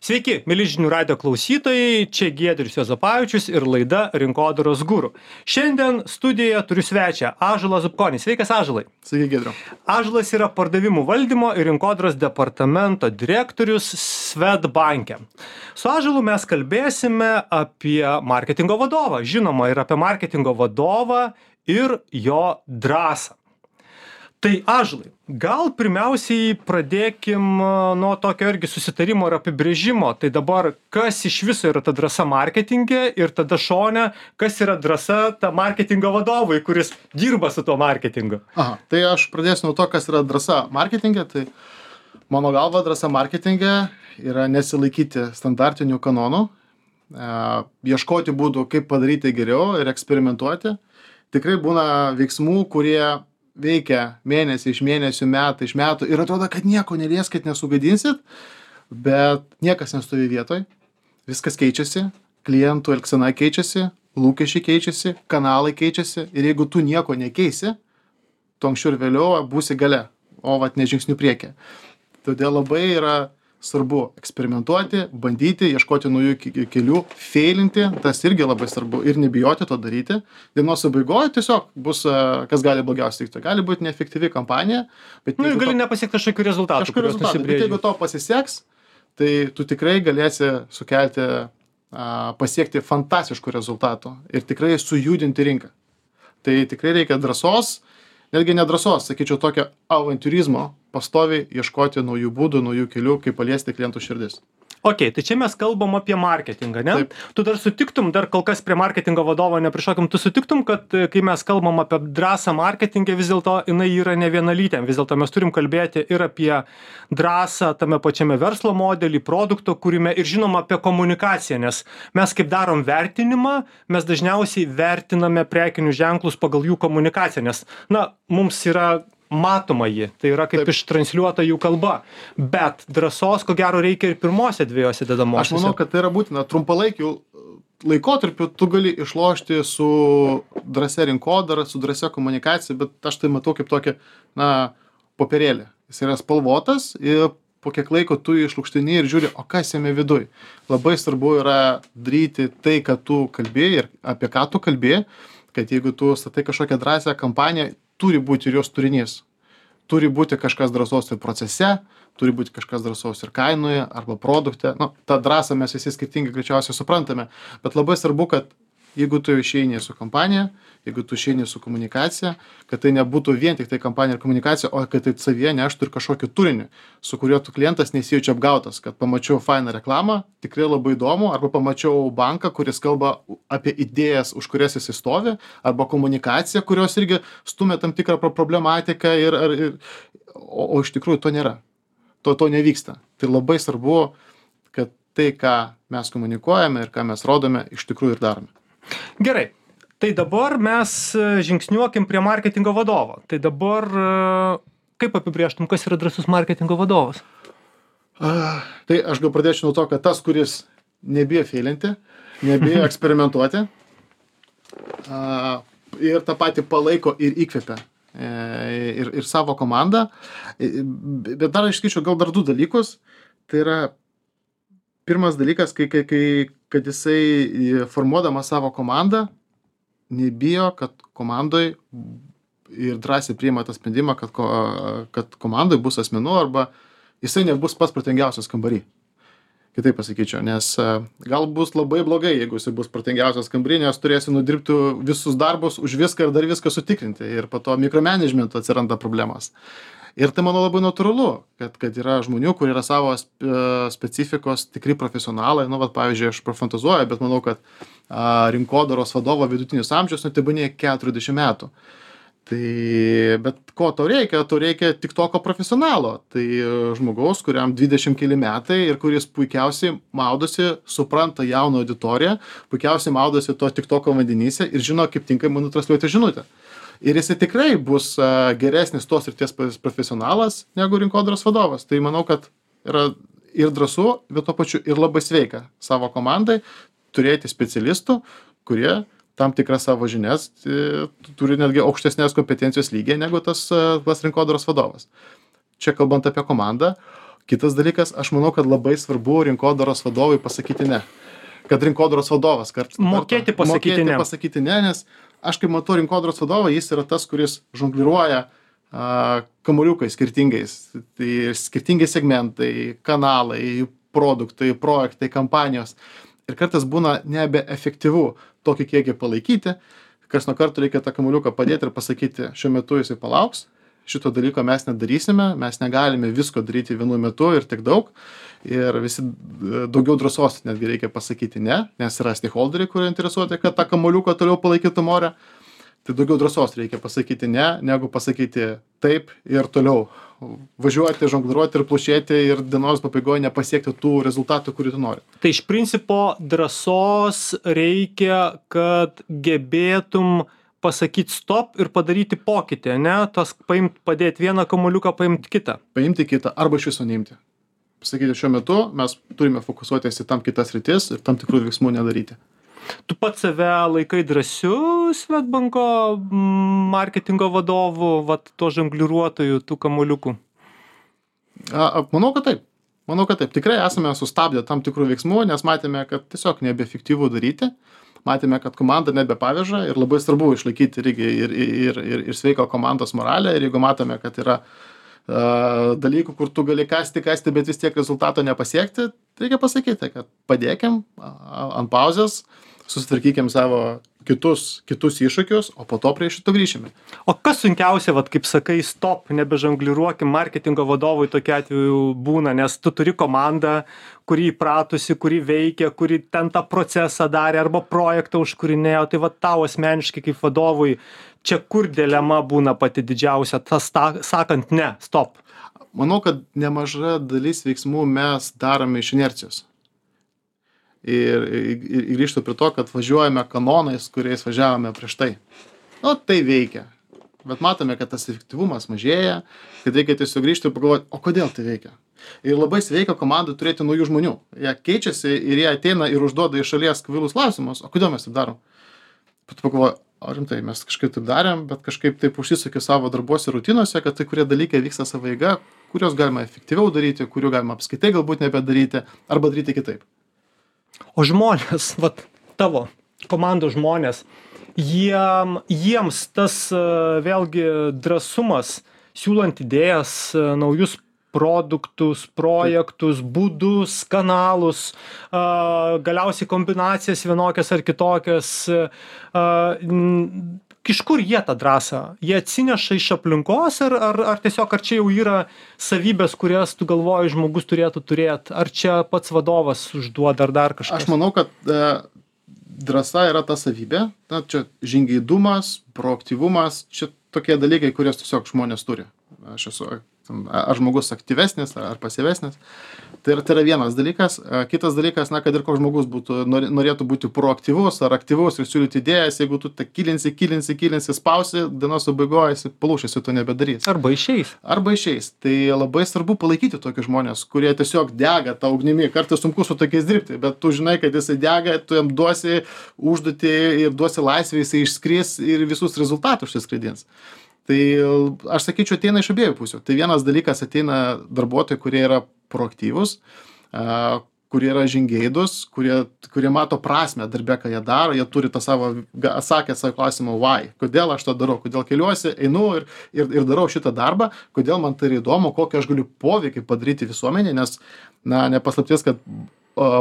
Sveiki, mėly žinių radijo klausytojai, čia Giedrius Juozapavičius ir laida Rinkodaros guru. Šiandien studijoje turiu svečią Ąžuolą Zubkonį. Sveikas, Ąžuolai. Sveiki, Giedriu. Ąžuolas yra pardavimų valdymo ir rinkodaros departamento direktorius Swedbanke. Su Ąžuolu mes kalbėsime apie marketingo vadovą, žinoma, ir apie marketingo vadovą ir jo drąsą. Tai Ąžuolai, gal pirmiausiai pradėkim nuo tokio irgi susitarimo ir apibrėžimo. Tai dabar, kas iš viso yra ta drąsa marketinge ir tada šone, kas yra drąsa ta marketingo vadovui, kuris dirba su tuo marketingu? Aha, tai aš pradėsiu nuo to, kas yra drąsa marketinge. Tai mano galva drąsa marketinge yra nesilaikyti standartinių kanonų, ieškoti būdų, kaip padaryti geriau ir eksperimentuoti. Tikrai būna veiksmų, kurie veikia mėnesį iš mėnesių, metai iš metų ir atrodo, kad nieko nelieskit, nesugadinsit, bet niekas nestovi vietoj, viskas keičiasi, klientų elgsena keičiasi, lūkesčiai keičiasi, kanalai keičiasi ir jeigu tu nieko nekeisi, tu anksčiau ir vėliau būsi gale, o vat ne žingsnių priekį. Todėl labai yra svarbu eksperimentuoti, bandyti, ieškoti naujų kelių, feilinti, tas irgi labai svarbu ir nebijoti to daryti. Dienos pabaigoje tiesiog bus, kas gali blogiausiai tikti. Gali būti neefektyvi kampanija, bet ir gali nepasiekti kažkokių rezultatų. Bet jeigu to pasiseks, tai tu tikrai galėsi sukelti, pasiekti fantastiškų rezultatų ir tikrai sujudinti rinką. Tai tikrai reikia drąsos, netgi nedrąsos, sakyčiau, tokio avantiūrizmo, pastoviai ieškoti naujų būdų, naujų kelių, kaip paliesti klientų širdis. Ok, tai čia mes kalbam apie marketingą, ne? Taip. Tu dar sutiktum, dar kol kas prie marketingo vadovo neprišokim, tu sutiktum, kad kai mes kalbam apie drąsą marketingę, vis dėlto jinai yra ne vienalytė. Vis dėlto mes turim kalbėti ir apie drąsą tame pačiame verslo modelį, produkto kūrime ir žinoma apie komunikaciją, nes mes kaip darom vertinimą, mes dažniausiai vertiname prekinius ženklus pagal jų komunikaciją, nes, mums yra matoma ji, tai yra kaip ištransliuota jų kalba, bet drąsos ko gero reikia ir pirmose dviejose dedamosiose. Aš manau, kad tai yra būtina. Trumpalaikiu laikotarpiu tu gali išlošti su drąsia rinkodara, su drąsia komunikacija, bet aš tai matau kaip tokį, popierėlį. Jis yra spalvotas ir po kiek laiko tu išlukštini ir žiūri, o kas jame viduj. Labai svarbu yra daryti tai, ką tu kalbėjai ir apie ką tu kalbėjai, kad jeigu tu statai kažkokią drąsią kampaniją, turi būti ir jos turinys. Turi būti kažkas drąsos ir procese, turi būti kažkas drąsos ir kainoje arba produkte. Ta drąsą mes visi skirtingai greičiausiai suprantame, bet labai svarbu, kad jeigu tu išeini su kompanija, jeigu tu išeini su komunikacija, kad tai nebūtų vien tik tai kampanija ir komunikacija, o kad tai savyje neštų ir kažkokį turinį, su kuriuo tu klientas nesijaučia apgautas, kad pamačiau fainą reklamą, tikrai labai įdomu, arba pamačiau banką, kuris kalba apie idėjas, už kurias jis stovi, arba komunikaciją, kurios irgi stumia tam tikrą problematiką, o iš tikrųjų to nėra. To nevyksta. Tai labai svarbu, kad tai, ką mes komunikuojame ir ką mes rodome, iš tikrųjų ir darome. Gerai, tai dabar mes žingsniuokim prie marketingo vadovo. Tai dabar kaip apibrėžtum, kas yra drąsus marketingo vadovas? Tai aš gal pradėčiau nuo to, kad tas, kuris nebijo feilinti, nebijo eksperimentuoti ir tą patį palaiko ir įkvepia ir savo komandą. Bet dar išskaičiau gal dar du dalykus. Tai yra pirmas dalykas, kad jisai formuodamas savo komandą nebijo, kad komandoj ir drąsiai priima tą sprendimą, kad komandoj bus asmenų arba jisai nebus pats protingiausias kambary. Kitaip pasakyčiau, nes gal bus labai blogai, jeigu jisai bus protingiausias kambary, nes turėsi nudirbti visus darbus už viską ir dar viską sutikrinti ir po to mikromanagementu atsiranda problemas. Ir tai, manau, labai natūralu, kad yra žmonių, kurie yra savo specifikos tikri profesionalai. Pavyzdžiui, aš prafantazuoju, bet manau, kad rinkodaros vadovo vidutinis amžius, tebūnie 40 metų. Bet ko tau reikia? Tau reikia tiktoko profesionalo. Tai žmogaus, kuriam 20 keli metai ir kuris puikiausiai maudosi, supranta jauną auditoriją, puikiausiai maudosi to tiktoko vandenyse ir žino, kaip tinkamai nutransliuoti žinutę. Ir jisai tikrai bus geresnis tos srities profesionalas negu rinkodaros vadovas. Tai manau, kad yra ir drąsu, bet tuo pačiu ir labai sveika savo komandai turėti specialistų, kurie tam tikras savo žinias turi netgi aukštesnės kompetencijos lygiai negu tas rinkodaros vadovas. Čia kalbant apie komandą. Kitas dalykas, aš manau, kad labai svarbu rinkodaros vadovui pasakyti ne. Kad rinkodaros vadovas kartais Mokėti pasakyti ne, nes aš kaip matau rinkodaros vadovą, jis yra tas, kuris žongliruoja kamuoliukai skirtingais. Tai skirtingi segmentai, kanalai, produktai, projektai, kampanijos. Ir kartais būna nebeefektyvu tokį kiekį palaikyti. Kas nuo karto reikia tą kamuoliuką padėti ir pasakyti, šiuo metu jisai palauks. Šito dalyko mes nedarysime, mes negalime visko daryti vienu metu ir tik daug. Ir visi daugiau drąsos netgi reikia pasakyti ne, nes yra stakeholderiai, kurie interesuoti, kad tą kamuoliuką toliau palaikytų ore. Tai daugiau drąsos reikia pasakyti ne, negu pasakyti taip ir toliau. Važiuoti, žongliruoti ir plušėti ir dienos pabaigoje nepasiekti tų rezultatų, kurių tu nori. Tai iš principo drąsos reikia, kad gebėtum pasakyti stop ir padaryti pokytį, ne? Tas padėti vieną kamuoliuką, paimti kitą. Paimti kitą arba iš viso neimti. Pasakyti, šiuo metu mes turime fokusuotis į tam kitas rytis ir tam tikrų veiksmų nedaryti. Tu pats save laikai drąsiu Swedbanko marketingo vadovu, to žongliruotojų, tų kamuoliukų? Manau, kad taip. Tikrai esame sustabdę tam tikrų veiksmų, nes matėme, kad tiesiog nebeefektyvu daryti. Matėme, kad komanda nebepaveža ir labai svarbu išlaikyti ir sveiką komandos moralę. Ir jeigu matome, kad yra dalykų, kur tu gali kasti, bet vis tiek rezultato nepasiekti, reikia pasakyti, kad padėkim ant pauzės, susitvarkykim savo kitus iššūkius, o po to prie šito grįšime. O kas sunkiausia, kaip sakai, stop, nebežongliruokim, marketingo vadovui tokiu atveju būna, nes tu turi komandą, kuri įpratusi, kuri veikia, kuri ten tą procesą darė arba projektą užkūrinėjo, tai tau asmeniškai kaip vadovui, čia kur dilema būna pati didžiausia, tas sakant ne, stop. Manau, kad nemaža dalis veiksmų mes darome iš inercijos. Ir grįžtu prie to, kad važiuojame kanonais, kuriais važiavome prieš tai. Tai veikia. Bet matome, kad tas efektyvumas mažėja, kad reikia tiesiog grįžti ir pagalvoti, o kodėl tai veikia. Ir labai sveika komandai turėti naujų žmonių. Jie keičiasi ir jie ateina ir užduoda iš šalies kvailus klausimus, o kodėl mes taip darom. Bet pagalvoju, rimtai, mes kažkaip taip darėm, bet kažkaip taip užsisukė savo darbuose rutinose, kad tai kurie dalykai vyksta savo eiga, kuriuos galima efektyviau daryti, kurių galima apskaitai galbūt nebedaryti arba daryti kitaip. O žmonės, tavo komandos žmonės, jiems tas vėlgi drąsumas, siūlant idėjas, naujus produktus, projektus, būdus, kanalus, galiausiai kombinacijas vienokias ar kitokias, iš kur jie tą drąsą? Jie atsineša iš aplinkos ar tiesiog, ar čia jau yra savybės, kurias tu galvoji žmogus turėtų turėti? Ar čia pats vadovas užduoda ar dar kažkas? Aš manau, kad drąsa yra ta savybė. Čia žingeidumas, proaktyvumas, čia tokie dalykai, kurias tiesiog žmonės turi. Aš esu ar žmogus aktyvesnis, ar pasyvesnis. Tai yra vienas dalykas. Kitas dalykas, kad ir koks žmogus norėtų būti proaktyvus ar aktyvus ir siūlyti idėjas, jeigu tu kilinsi, spausi, dienos pabaigoje palūšėsi, to nebedarys. Arba išeis. Tai labai svarbu palaikyti tokius žmonės, kurie tiesiog dega tą ugnimi. Kartais sunku su tokiais dirbti, bet tu žinai, kad jisai dega, tu jam duosi užduotį ir duosi laisvę, jisai išskris ir visus rezultatus išskraidins. Tai aš sakyčiau, ateina iš abiejų pusių. Tai vienas dalykas, ateina darbuotojai, kurie yra proaktyvūs, kurie yra žingeidūs, kurie mato prasmę darbe, ką jie daro, jie turi tą savo, atsakę savo klausimą why, kodėl aš tą darau, kodėl keliuosi, einu ir darau šitą darbą, kodėl man tai yra įdomu, kokį aš galiu poveikį padaryti visuomenė, nes, nepaslapties, kad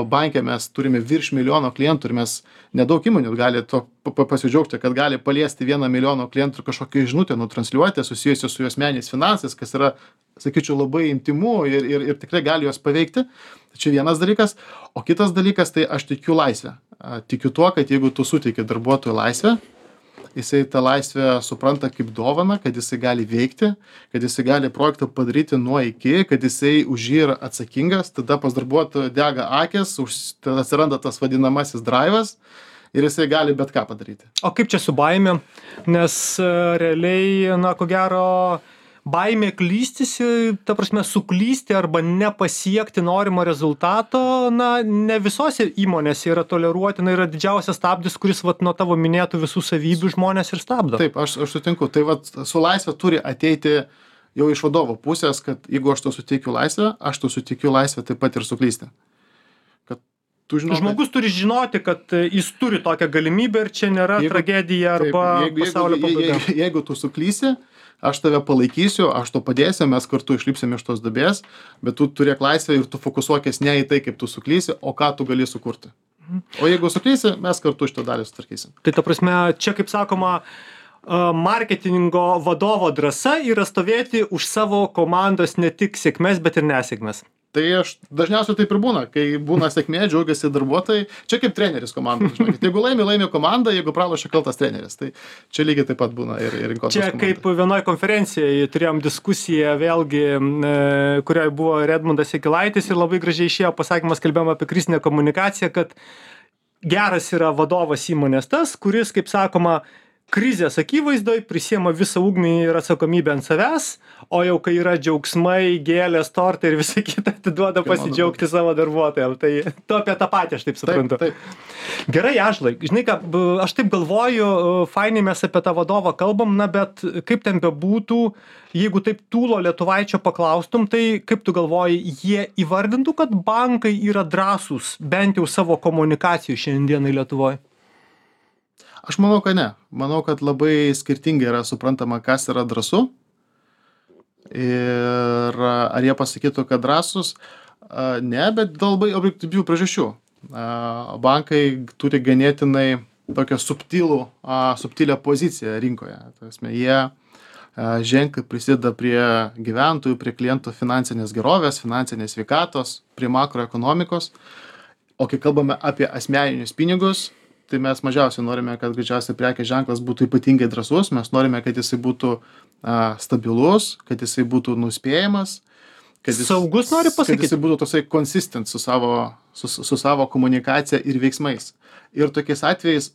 banke mes turime virš 1 milijono klientų ir mes nedaug įmonių gali to pasidžiaugti, kad gali paliesti 1 milijono klientų ir kažkokią žinutę nutransliuoti susijusią su jų asmeniniais finansais, kas yra, sakyčiau, labai intymu ir tikrai gali juos paveikti. Tai čia vienas dalykas. O kitas dalykas, tai aš tikiu laisvę. Tikiu tuo, kad jeigu tu suteiki darbuotojui laisvę, jisai tą laisvę supranta kaip dovaną, kad jisai gali veikti, kad jisai gali projektą padaryti nuo iki, kad jisai už jį yra atsakingas, tada pas darbuotoją dega akis, tada atsiranda tas vadinamasis drivas ir jisai gali bet ką padaryti. O kaip čia su baime? Nes realiai, ko gero, baimė klystis, ta prasme, suklysti arba nepasiekti norimo rezultato, ne visose įmonėse yra toleruotina, yra didžiausias stabdis, kuris nuo tavo minėtų visų savybių žmonės ir stabdo. Taip, aš sutinku. Tai su laisvė turi ateiti jau iš vadovo pusės, kad jeigu aš to suteikiu laisvę, aš to suteikiu laisvę taip pat ir suklysti. Kad tu žinai, Žmogus turi žinoti, kad jis turi tokią galimybę ir čia nėra tragedija arba pasaulio pabaiga. Jeigu tu suklysi, aš tave palaikysiu, aš to padėsiu, mes kartu išlipsime iš tos duobės, bet tu turėk laisvę ir tu fokusuokės ne į tai, kaip tu suklysi, o ką tu gali sukurti. O jeigu suklysi, mes kartu šitą dalį sutvarkysim. Tai ta prasme, čia kaip sakoma, marketingo vadovo drąsa yra stovėti už savo komandos ne tik sėkmės, bet ir nesėkmės. Tai aš dažniausiai taip ir būna, kai būna sėkmė, džiaugiasi darbuotojai, čia kaip treneris komandos, žinokit. Jeigu laimi komanda, jeigu pralošia kaltas treneris, tai čia lygiai taip pat būna ir rinkodaros čia komandai. Kaip vienoj konferencijai turėjom diskusiją vėlgi, kurioje buvo Redmundas Jakilaitis ir labai gražiai išėjo pasakymas, kalbėjom apie krizinę komunikaciją, kad geras yra vadovas įmonės tas, kuris, kaip sakoma, krizės akivaizdoj prisiema visą ugnį ir atsakomybę ant savęs, o jau kai yra džiaugsmai, gėlės, tortai ir visa kita, atiduoda pasidžiaugti savo darbuotojams. Tai tu apie tą patį, aš taip suprantu. Taip. Gerai, Ąžuolai, žinai ką, aš taip galvoju, fainai mes apie tą vadovą kalbam, na bet kaip ten bebūtų, jeigu taip Tūlo Lietuvaičio paklaustum, tai kaip tu galvoji, jie įvardintų, kad bankai yra drąsūs, bent jau savo komunikacijų šiandienai Lietuvoje? Aš manau, kad ne. Manau, kad labai skirtingai yra suprantama, kas yra drąsu. Ir ar jie pasakytų, kad drąsus? Ne, bet dėl labai objektyvių priežasčių. Bankai turi ganėtinai tokią subtilę poziciją rinkoje. Jie ženkliai prisideda prie gyventojų, prie klientų finansinės gerovės, finansinės sveikatos, prie makroekonomikos. O kai kalbame apie asmeninius pinigus, tai mes mažiausiai norime, kad greičiausiai prekės ženklas būtų ypatingai drąsus, mes norime, kad jisai būtų stabilus, kad jisai būtų nuspėjamas, kad saugus nori pasakyti, kad jisai būtų tosai consistent su savo komunikacija ir veiksmais. Ir tokiais atvejais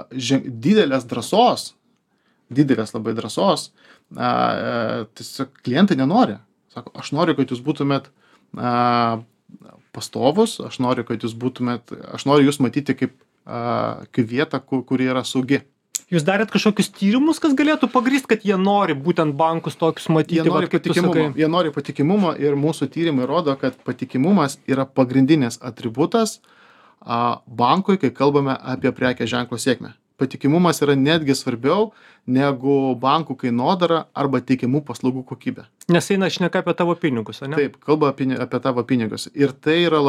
didelės labai drąsos, tiesiog klientai nenori. Sako, aš noriu, kad jūs būtumėt pastovus, aš noriu jūs matyti kaip vietą, kuri yra saugi. Jūs darėt kažkokius tyrimus, kas galėtų pagrįst, kad jie nori būtent bankus tokius matyti? Jie nori patikimumo ir mūsų tyrimai rodo, kad patikimumas yra pagrindinis atributas bankui, kai kalbame apie prekės ženklo sėkmę. Patikimumas yra netgi svarbiau negu bankų kainodara arba teikiamų paslaugų kokybė. Nes eina šneka apie tavo pinigus, ne? Taip, kalba apie tavo pinigus. Ir tai yra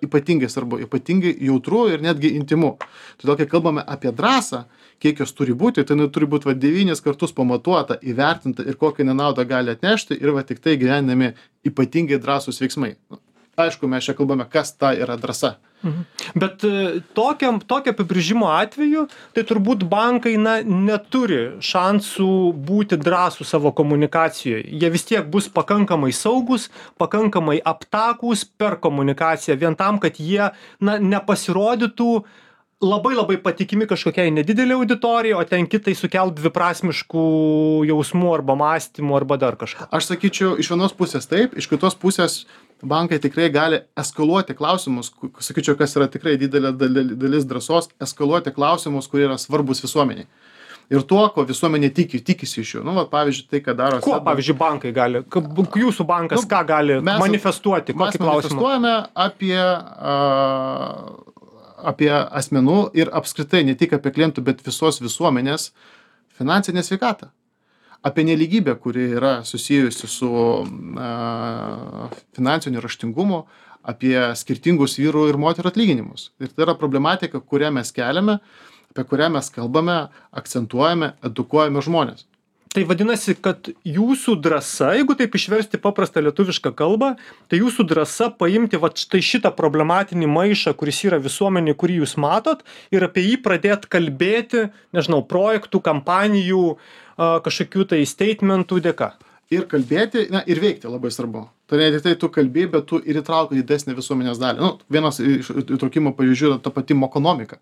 ypatingai svarbu, ypatingai jautru ir netgi intimu. Todėl, kai kalbame apie drąsą, kiek jos turi būti, tai turi būti 9 kartus pamatuota, įvertinta ir kokią nenaudą gali atnešti ir tik tai gyvenami ypatingai drąsūs veiksmai. Aišku, mes čia kalbame, kas ta yra drąsa. Bet tokio apibrėžimo atveju, tai turbūt bankai neturi šansų būti drąsų savo komunikacijoje. Jie vis tiek bus pakankamai saugus, pakankamai aptakūs per komunikaciją, vien tam, kad jie nepasirodytų labai patikimi kažkokiai nedidelė auditorija, o ten kitai sukelt dviprasmiškų jausmų arba mąstymų arba dar kažką. Aš sakyčiau, iš vienos pusės taip, iš kitos pusės bankai tikrai gali eskaluoti klausimus, sakyčiau, kas yra tikrai didelė dalis drąsos, eskaluoti klausimus, kurie yra svarbus visuomeniai. Ir tuo, ko visuomenė tikisi iš jų. Pavyzdžiui, tai, ką daro... Kuo, pavyzdžiui, bankai gali? Jūsų bankas ką gali manifestuoti? Mes manifestuojame apie asmenų ir apskritai ne tik apie klientų, bet visos visuomenės finansinę sveikatą. Apie nelygybę, kuri yra susijusi su finansiniu raštingumu, apie skirtingus vyrų ir moterų atlyginimus. Ir tai yra problematika, kurią mes keliame, apie kurią mes kalbame, akcentuojame, edukuojame žmonės. Tai vadinasi, kad jūsų drąsa, jeigu taip išversti paprastą lietuvišką kalbą, tai jūsų drąsa paimti štai šitą problematinį maišą, kuris yra visuomenė, kurį jūs matot, ir apie jį pradėti kalbėti, nežinau, projektų, kampanijų, kažkokių tai statementų dėka. Ir kalbėti, ir veikti labai svarbu. Tai ne tik tai tu kalbė, bet tu ir įtrauki didesnį visuomenės dalį. Vienas iš įtraukimo pavyzdžių yra ta pati mokonomika.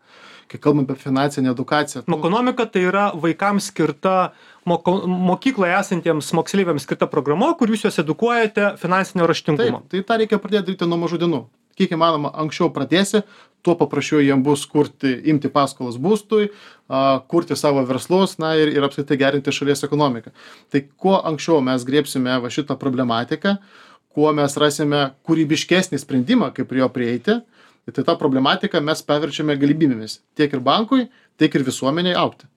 Kai kalbam apie finansinę edukaciją. Mokonomika tai yra vaikams skirta, mokykloje esantiems moksleiviams skirta programa, kur jūs juos edukuojate finansinio raštingumo. Taip, tai tą reikia pradėti daryti nuo mažų dienų. kiek įmanoma anksčiau pradėsi, tuo paprasčiau jiem bus imti paskolas būstui, kurti savo verslus, ir apskritai gerinti šalies ekonomiką. Tai kuo anksčiau mes griebsime va šitą problematiką, kuo mes rasime kūrybiškesnį sprendimą, kaip prie jo prieiti, tai tą problematiką mes paverčiame galimybėmis tiek ir bankui, tiek ir visuomeniai augti.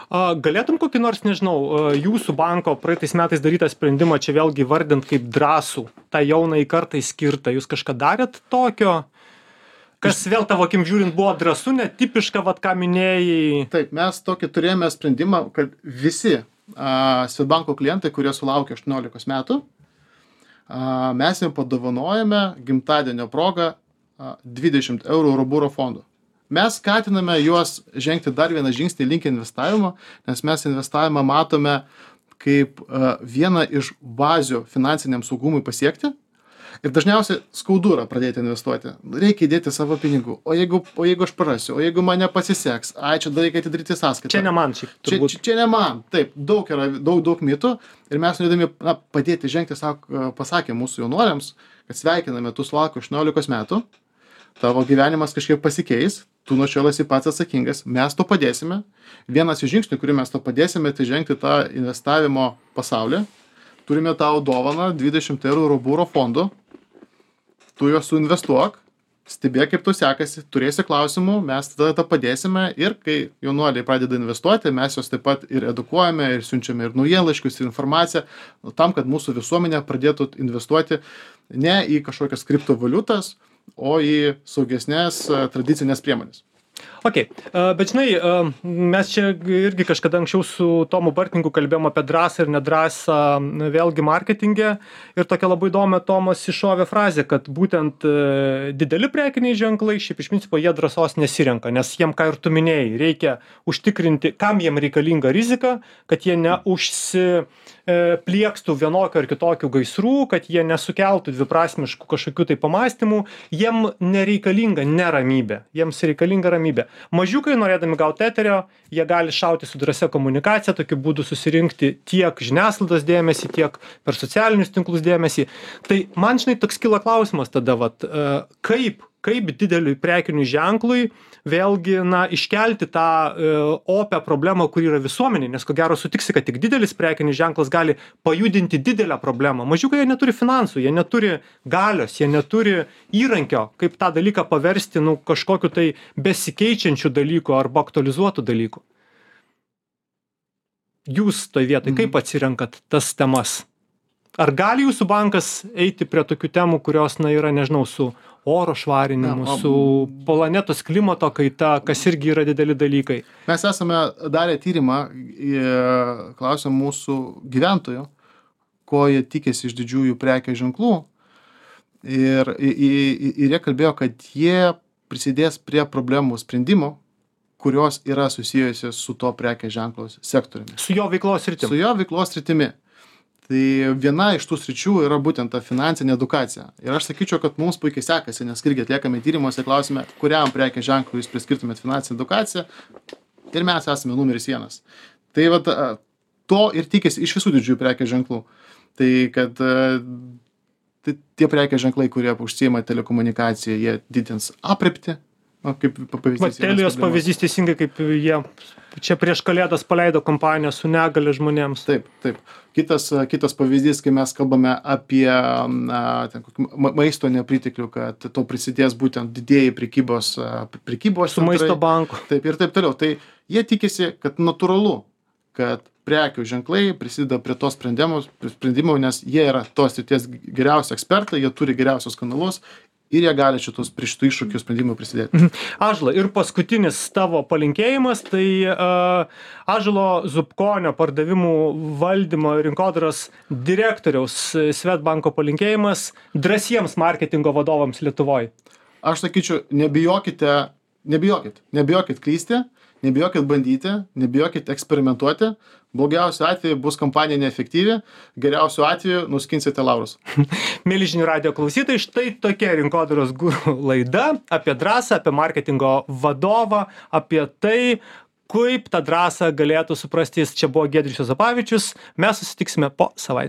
Galėtum kokį nors, nežinau, jūsų banko praeitais metais darytą sprendimą čia vėlgi vardint kaip drąsų, tą jaunai kartai skirtą. Jūs kažką darėt tokio? Kas vėl tavo akim žiūrint buvo drąsu, netipiška, ką minėjai? Taip, mes tokį turėjome sprendimą, kad visi Swedbanko klientai, kurie sulaukė 18 metų, mes jiems padovanojame gimtadienio progą 20 eurų Euriboro fondų. Mes skatiname juos žengti dar vieną žingsnį link investavimo, nes mes investavimą matome kaip vieną iš bazių finansiniam saugumui pasiekti. Ir dažniausiai skaudu yra pradėti investuoti. Reikia įdėti savo pinigų. O jeigu aš prarasiu, o jeigu man nepasiseks, čia dar reikia atidaryti sąskaitą. Čia ne man, turbūt. Čia ne man. Taip, daug mitų. Ir mes norėdami padėti žengti, pasakė mūsų jaunuoliams, kad sveikiname, tu sulauki 18 metų, tavo gyvenimas kažkiek pasikeis, tu nuo šiol esi pats atsakingas, mes to padėsime. Vienas iš žingsnių, kurį mes to padėsime, tai žengti tą investavimo pasaulį. Turime tau dovaną 20 eurų Euriboro fondų. Tu juos suinvestuok, stebėk, kaip tu sekasi, turėsi klausimų, mes tada padėsime ir kai jaunuoliai pradeda investuoti, mes juos taip pat ir edukuojame, ir siunčiame ir naujienlaiškius, ir informaciją, tam, kad mūsų visuomenė pradėtų investuoti ne į kažkokias kriptovaliutas, o į saugesnės tradicinės priemonės. Ok, bet žinai, mes čia irgi kažkada anksčiau su Tomu Bartninku kalbėjom apie drąsą ir nedrąsą vėlgi marketinge ir tokia labai įdomi Tomas iššovė frazę, kad būtent dideli prekiniai ženklai, šiaip iš principo jie drąsos nesirenka, nes jiem, ką ir tu minėjai, reikia užtikrinti, kam jiem reikalinga rizika, kad jie pliekstu vienokio ar kitokių gaisrų, kad jie nesukeltų dviprasmiškų kažkokių tai pamastymų, jiem nereikalinga neramybė, jiems reikalinga ramybė. Mažiukai, norėdami gauti eterio, jie gali šauti su drąsia komunikacija, tokiu būdu susirinkti tiek žiniasklaidos dėmesį, tiek per socialinius tinklus dėmesį. Tai man, žinai, toks kyla klausimas tada, kaip dideliui prekiniui ženklui vėlgi, iškelti tą opę problemą, kuri yra visuomenė, nes ko gero sutiksi, kad tik didelis prekinis ženklas gali pajudinti didelę problemą. Mažiukai jie neturi finansų, jie neturi galios, jie neturi įrankio, kaip tą dalyką paversti kažkokiu tai besikeičiančiu dalyku arba aktualizuotų dalykų. Jūs toj vietoj, kaip atsirenkat tas temas? Ar gali jūsų bankas eiti prie tokių temų, kurios, yra, nežinau, su oro švarinimu, su planetos klimato kaita, kas irgi yra dideli dalykai? Mes esame darę tyrimą, klausėm mūsų gyventojų, ko jie tikėsi iš didžiųjų prekės ženklų. Ir jie kalbėjo, kad jie prisidės prie problemų sprendimo, kurios yra susijusios su to prekės ženklos sektoriumi. Su jo veiklos sritimi. Su jo veiklos sritimi. Tai viena iš tų sričių yra būtent ta finansinė edukacija. Ir aš sakyčiau, kad mums puikiai sekasi, nes irgi atliekame tyrimuose, klausime, kuriam prekės ženklui jūs priskirtumėt finansinę edukaciją. Ir mes esame numeris 1. Tai to ir tikisi iš visų didžiųjų prekės ženklų. Tai kad tie prekės ženklai, kurie užsiima telekomunikaciją, jie didins aprėptį. Kaip pavyzdys. Telijos pavyzdys teisingai, kaip jie čia prieš Kalėdas paleido kompaniją su negalia žmonėms. Taip. Kitas pavyzdys, kai mes kalbame apie maisto nepriteklių, kad to prisidės būtent didėjai prekybos su maisto banku. Taip ir taip toliau. Tai jie tikisi, kad natūralu, kad prekių ženklai prisideda prie to sprendimų, nes jie yra tos srities geriausi ekspertai, jie turi geriausius kanalus. Ir jie gali prie šitų iššūkių sprendimų prisidėti. Ąžuolai, ir paskutinis tavo palinkėjimas, tai Ąžuolo Zubkonio pardavimų valdymo rinkodaros direktoriaus Swedbanko palinkėjimas drąsiems marketingo vadovams Lietuvoje. Aš sakyčiau, nebijokit klysti, nebijokit bandyti, nebijokit eksperimentuoti. Blogiausiu atveju bus kampanija neefektyvi, geriausiu atveju nuskinsite laurus. Mėly žinių radijo klausytojai, štai tokia rinkodaros guru laida apie drąsą, apie marketingo vadovą, apie tai, kaip tą drąsą galėtų suprasti. Čia buvo Giedrius Juozapavičius. Mes susitiksime po savaitės.